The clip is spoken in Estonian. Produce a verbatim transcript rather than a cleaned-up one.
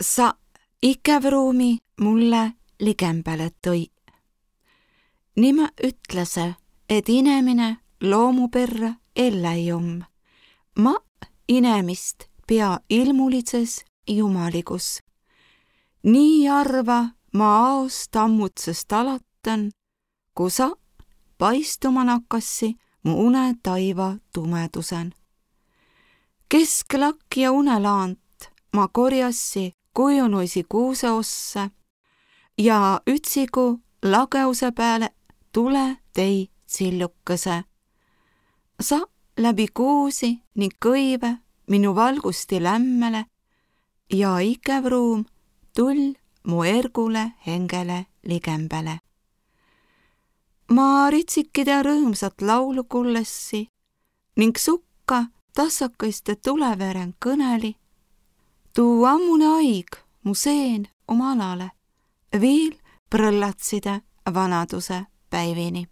Sa ikävruumi mulle ligembäle tõi. Nimä ütlese, et inemine loomuperra elläi om. Ma inemist pea ilmulitses jumaligus. Nii arva ma aos tammutsest alatan, ku sa paistuma nakkassi mu une taiva tumedusen. Kesklakk ja unelaant ma korjassi kujunuisi kuuse ossa ja ütsigu lageuse pääle tule tei tsillukese. Sa läbi kuusi ning kõive minu valgusti lämmele ja ikävruum tull mu ergule hengele ligembäle. Ma ritsikide rõõmsat laulu kullessi ning sukka tassakaiste tuleveren kõneli. Tuu ammune aig mu seen oma alale, viil prõllatside vanaduse päivini.